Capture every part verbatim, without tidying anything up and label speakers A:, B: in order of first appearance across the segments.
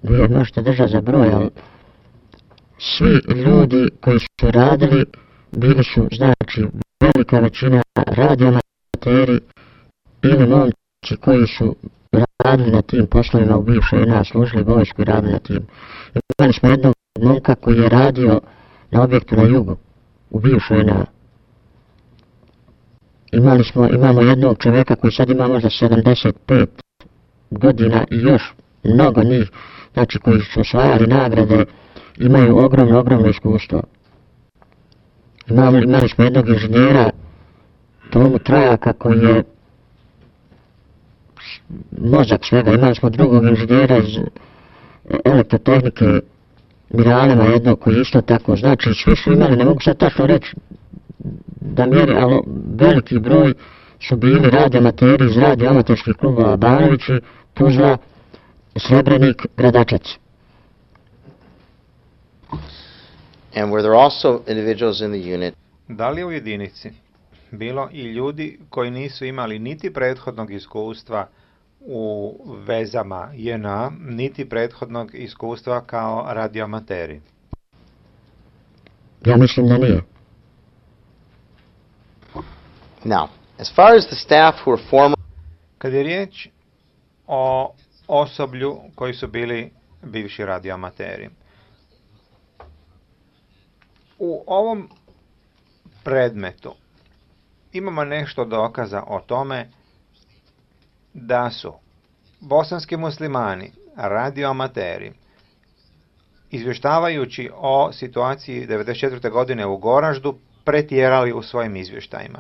A: vi možete držati za broj, ali svi ljudi koji su radili bili su, znači, velika većina radioamateri ili momci koji su radili na tim poslovima u bivšoj J N A, služili vojsku i radili na tim. Imali smo jednog momka koji je radio na objektu na jugu u bivšoj J N A. Imali smo, imamo jednog čovjeka koji sad ima možda sedamdeset pet godina i još mnogo njih, znači koji su osvajali nagrade, imaju ogromno, ogromno iskustvo. Imali, imali smo jednog inženjera, Tomu Trajaka, koji je mozak svega. Imali smo drugog inženjera iz elektrotehnike, Miralema jednog koji isto tako. Znači, svi su imali, ne mogu sad tačno reći da mjeri, ali veliki broj su bili radioamateri iz radioamaterskih klubova Banovići, Tuzla, Srebrenik, Gradačac.
B: And were there also individuals in the unit?
C: Da li u jedinici bilo i ljudi koji nisu imali niti prethodnog iskustva u vezama J N A, niti prethodnog iskustva kao radioamateri?
A: Ja mislim da nije.
B: Now, as far as the staff who were former...
C: Kad je riječ o osoblju koji su bili bivši radioamateri, u ovom predmetu imamo nešto dokaza o tome da su bosanski muslimani, radioamateri, izvještavajući o situaciji devedeset četvrte godine u Goraždu, pretjerali u svojim izvještajima.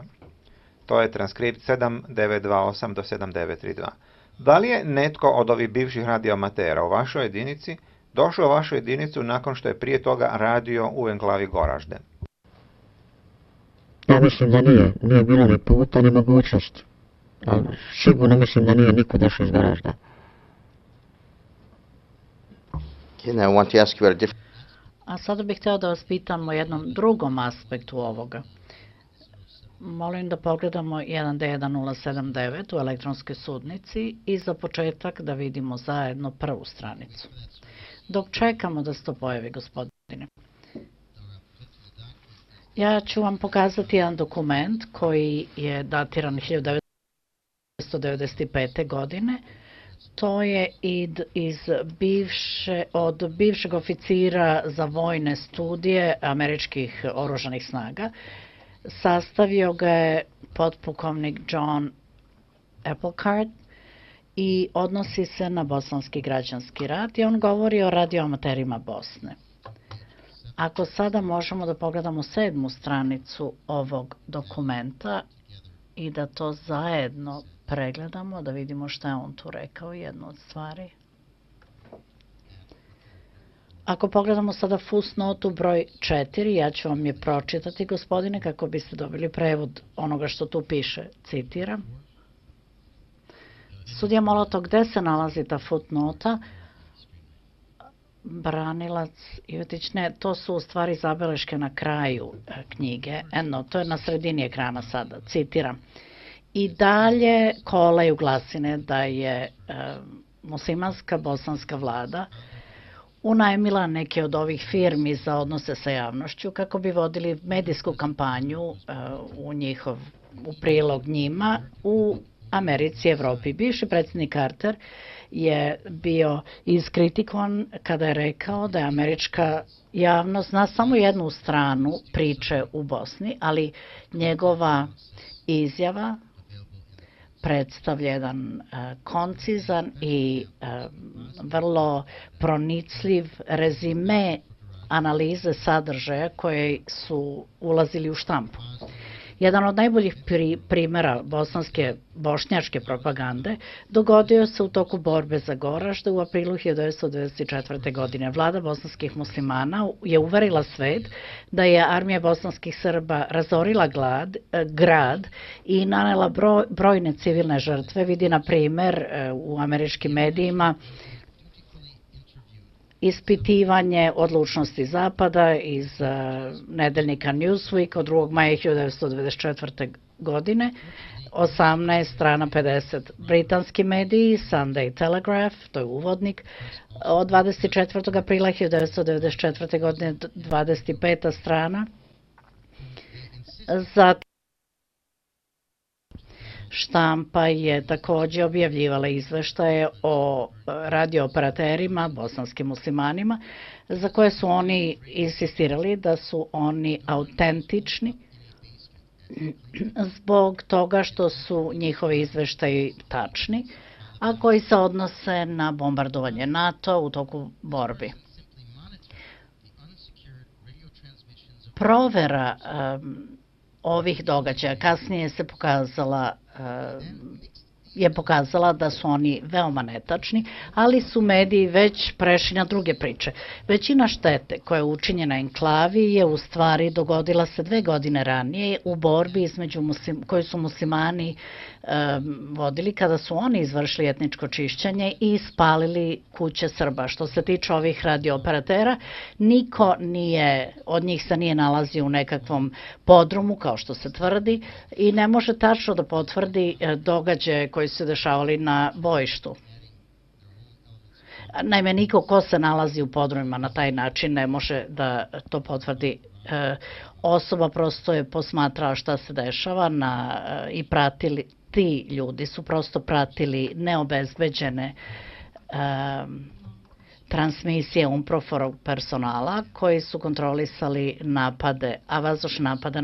C: To je transkript sedam devet dva osam do sedam devet tri dva. Da li je netko od ovih bivših radioamatera u vašoj jedinici došao u vašu jedinicu nakon što je prije toga radio u enklavi Goražde?
A: Ja mislim da nije. Nije bilo ni puta, ni mogućnosti. Ali sigurno mislim da nije niko došao iz Goražda.
D: A sada bih htio da vas pitam o jednom drugom aspektu ovoga. Molim da pogledamo jedan D jedan nula sedam devet u elektronskoj sudnici i za početak da vidimo zajedno prvu stranicu. Dok čekamo da se to pojavi, gospodine. Ja ću vam pokazati jedan dokument koji je datiran hiljadu devetsto devedeset pete. godine. To je id iz bivše, od bivšeg oficira za vojne studije američkih oružanih snaga. Sastavio ga je potpukovnik John Applecard i odnosi se na bosanski građanski rat i on govori o radioamaterima Bosne. Ako sada možemo da pogledamo sedmu stranicu ovog dokumenta i da to zajedno pregledamo, da vidimo šta je on tu rekao, jednu od stvari. Ako pogledamo sada fusnotu broj četiri, ja ću vam je pročitati, gospodine, kako biste dobili prevod onoga što tu piše. Citiram. Sudija Molotov, gde se nalazi ta fusnota? Branilac Ivetić, ne, to su u stvari zabeleške na kraju knjige. Eno, to je na sredini ekrana sada. Citiram. I dalje kolaju glasine da je e, muslimanska bosanska vlada unajmila neke od ovih firmi za odnose sa javnošću kako bi vodili medijsku kampanju uh, u njihov, u prilog njima u Americi i Evropi. Bivši predsjednik Carter je bio iskritikovan kada je rekao da je američka javnost zna samo jednu stranu priče u Bosni, ali njegova izjava predstavlja jedan uh, koncizan i uh, vrlo pronicljiv rezime analize sadržaja koje su ulazili u štampu. Jedan od najboljih pri, primjera bosanske, bošnjačke propagande dogodio se u toku borbe za Goražde u aprilu hiljadu devetsto devedeset četvrte. godine. Vlada bosanskih muslimana je uverila svet da je armija bosanskih Srba razorila glad, grad i nanela broj, brojne civilne žrtve. Vidi, na primer, u američkim medijima ispitivanje odlučnosti Zapada iz uh, nedeljnika Newsweek od drugog maja hiljadu devetsto devedeset četvrte. godine, osamnaest strana pedeset. Britanski mediji, Sunday Telegraph, to je uvodnik, od dvadeset četvrtog aprila hiljadu devetsto devedeset četvrte. godine, dvadeset peta strana. Zatim štampa je takođe objavljivala izveštaje o radiooperaterima, bosanskim muslimanima, za koje su oni insistirali da su oni autentični zbog toga što su njihovi izveštaji tačni, a koji se odnose na bombardovanje NATO u toku borbi. Provera um, ovih događaja kasnije se pokazala je pokazala da su oni veoma netačni, ali su mediji već prešli na druge priče. Većina štete koja je učinjena enklavi je u stvari dogodila se dve godine ranije u borbi između muslim, koju su muslimani um, vodili kada su oni izvršili etničko čišćenje i spalili kuće Srba. Što se tiče ovih radiooperatera, niko nije, od njih se nije nalazio u nekakvom podrumu, kao što se tvrdi, i ne može tačno da potvrdi događaje koji su se dešavali na bojištu. Naime, niko ko se nalazi u podrumima na taj način ne može da to potvrdi. E, osoba prosto je posmatrala šta se dešava na, e, i pratili, ti ljudi su prosto pratili neobezbeđene e, transmisije UNPROFOR personala koji su kontrolisali napade, a vazdušne napade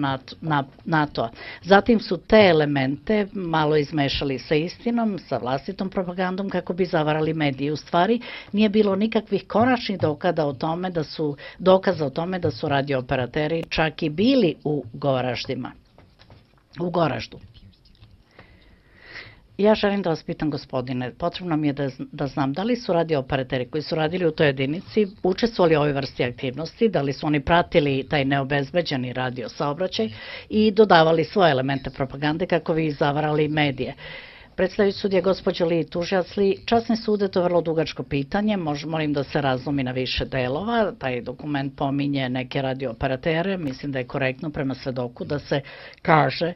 D: NATO-a. Zatim su te elemente malo izmešali sa istinom, sa vlastitom propagandom kako bi zavarali medije. U stvari nije bilo nikakvih konačnih dokaza o tome da su, dokaza o tome da su radiooperateri čak i bili u Goraždima, u Goraždu. Ja želim da vas pitam, gospodine, potrebno mi je da, da znam da li su radiooperateri koji su radili u toj jedinici učestvovali u ovoj vrsti aktivnosti, da li su oni pratili taj neobezbeđeni radio saobraćaj i dodavali svoje elemente propagande kako bi zavarali medije. Predstavljajući sudija gospođo Li Tužilac Li, časni sude, to je vrlo dugačko pitanje, Mož, molim da se razlomi na više delova, taj dokument pominje neke radiooperatere, mislim da je korektno prema svedoku da se kaže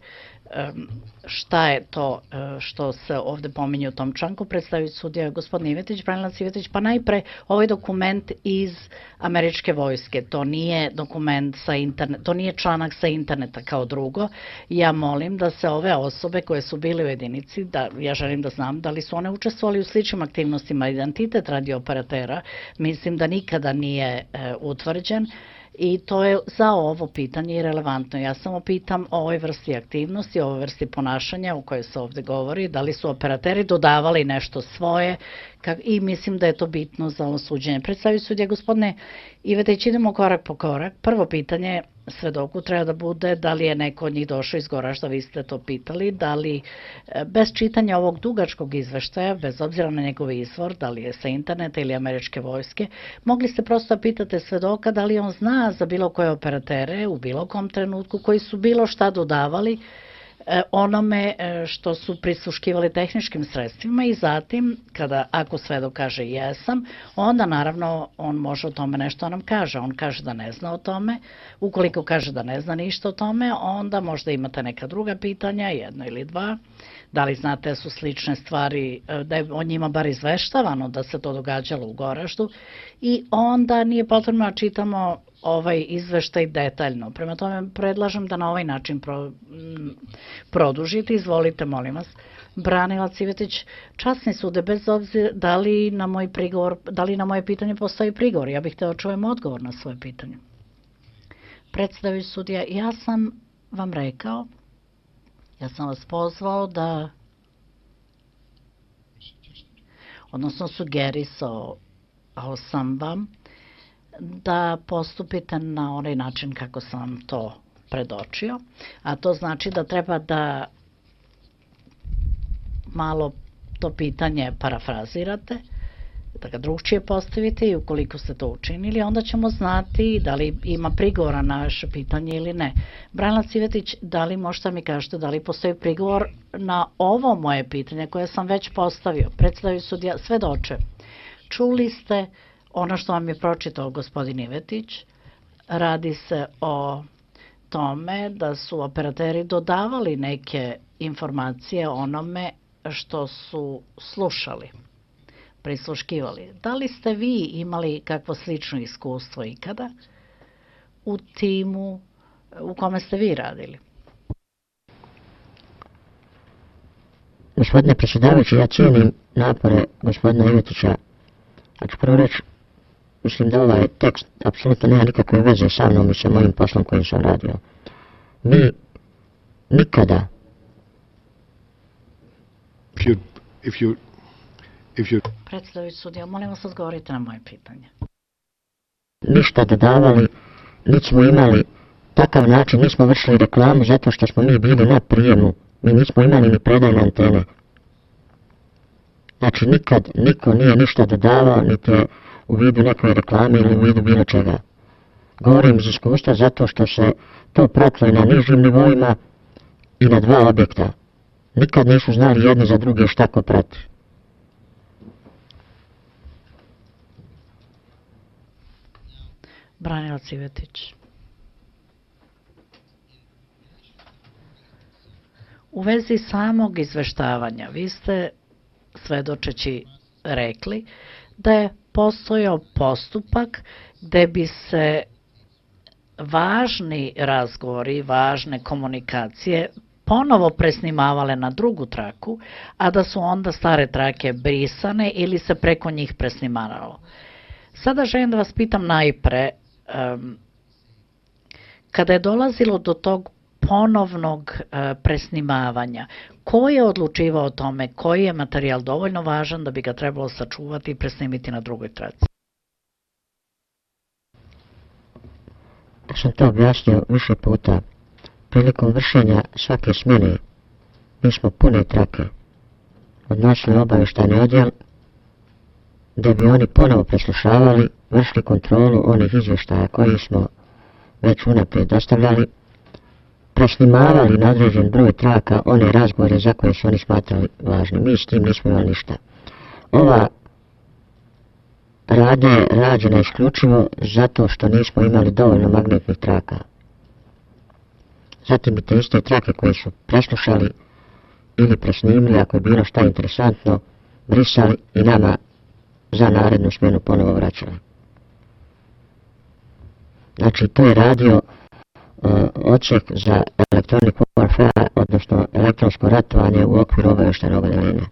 D: šta je to što se ovde pominje u tom članku. Predstavljajući sudija gospodin Ivetić, branilac Ivetić, pa najpre ovaj dokument iz američke vojske, to nije dokument sa interneta, to nije članak sa interneta kao drugo. Ja molim da se ove osobe koje su bile u jedinici, da ja želim da znam da li su one učestvovali u sličnim aktivnostima. Identitet radiooperatera mislim da nikada nije e, utvrđen. I to je za ovo pitanje i relevantno. Ja samo pitam o ovoj vrsti aktivnosti, o ovoj vrsti ponašanja o kojoj se ovde govori, da li su operateri dodavali nešto svoje i mislim da je to bitno za ovo suđenje. Predstavio sudija gospodine Ivetić, idemo korak po korak. Prvo pitanje svedoku treba da bude da li je neko od njih došao iz Goražda, vi ste to pitali, da li bez čitanja ovog dugačkog izveštaja, bez obzira na njegov izvor, da li je sa interneta ili američke vojske, mogli ste prosto da pitate svedoka da li on zna za bilo koje operatere u bilo kom trenutku koji su bilo šta dodavali onome što su prisluškivali tehničkim sredstvima i zatim, kada, ako svedok kaže jesam, onda naravno on može o tome nešto nam kaže. On kaže da ne zna o tome. Ukoliko kaže da ne zna ništa o tome, onda možda imate neka druga pitanja, jedno ili dva. Da li znate da su slične stvari, da je o njima bar izveštavano da se to događalo u Goraždu i onda nije potrebno da čitamo ovaj izveštaj detaljno. Prema tome predlažem da na ovaj način pro, m, produžite. Izvolite, molim vas. Branilac Ivetić, časni sude, bez obzira da li na moj prigovor, da li na moje pitanje postoji prigovor. Ja bih hteo da čujem odgovor na svoje pitanje. Predstavljajući sudija, ja sam vam rekao, ja sam vas pozvao da, odnosno sugerisao sam vam da postupite na onaj način kako sam vam to predočio, a to znači da treba da malo to pitanje parafrazirate, da ga drugčije postavite i ukoliko ste to učinili, onda ćemo znati da li ima prigovora na vaše pitanje ili ne. Branilac Ivetić, da li možete mi kažete da li postoji prigovor na ovo moje pitanje koje sam već postavio? Predstavio sudija, svedoče, čuli ste ono što vam je pročitao gospodin Ivetić, radi se o tome da su operateri dodavali neke informacije onome što su slušali, prisluškivali. Da li ste vi imali kakvo slično iskustvo ikada u timu u kome ste vi radili?
A: Gospodine predsjedavajući, ja cijenim napore gospodina Ivetića. A ću prvo reći, mislim da ovaj tekst apsolutno nema nikakve veze sa mnom i sa mojim poslom kojim sam radio. Mi nikada
E: If you, if you, if you,
D: Predstavljajući sudija, molim vas odgovorite na moje pitanje.
A: ništa dodavali, niti smo imali takav način, nismo vršili reklamu zato što smo mi bili na prijemu, mi nismo imali ni predajne antene. Znači nikad niko nije ništa dodavao, niti u vidu nekoj reklame ili u vidu bilo čega. Govorim iz iskustva zato što se to pratilo na nižim nivoima i na dva objekta. Nikad nisu znali jedni za druge šta ko prati.
D: Branilac Ivetić. U vezi samog izveštavanja, vi ste svedočeći rekli da je postojao postupak gde bi se važni razgovori, važne komunikacije ponovo presnimavale na drugu traku, a da su onda stare trake brisane ili se preko njih presnimavalo. Sada želim da vas pitam najpre, um, kada je dolazilo do tog ponovnog uh, presnimavanja, ko je odlučivao o tome, koji je materijal dovoljno važan da bi ga trebalo sačuvati i presnimiti na drugoj traci?
A: Ja sam to objasnio više puta. Prilikom vršenja svake smjene mi smo pune trake odnosili obavještajni odjel da bi oni ponovo preslušavali, vršili kontrolu onih izvještaja koji smo već unaprijed dostavljali, presnimavali na određen broj traka one razgovore za koje su oni smatrali važni. Mi s tim nismo imali ništa. Ova radnja je rađena isključivo zato što nismo imali dovoljno magnetnih traka. Zatim bi te iste trake koje su preslušali ili presnimili, ako je bilo šta interesantno, brisali i nama za narednu smjenu ponovo vraćali. Znači, to je radio uh, odsjek za electronic warfare, odnosno elektronsko ratovanje u okviru obavještajnog odeljenja.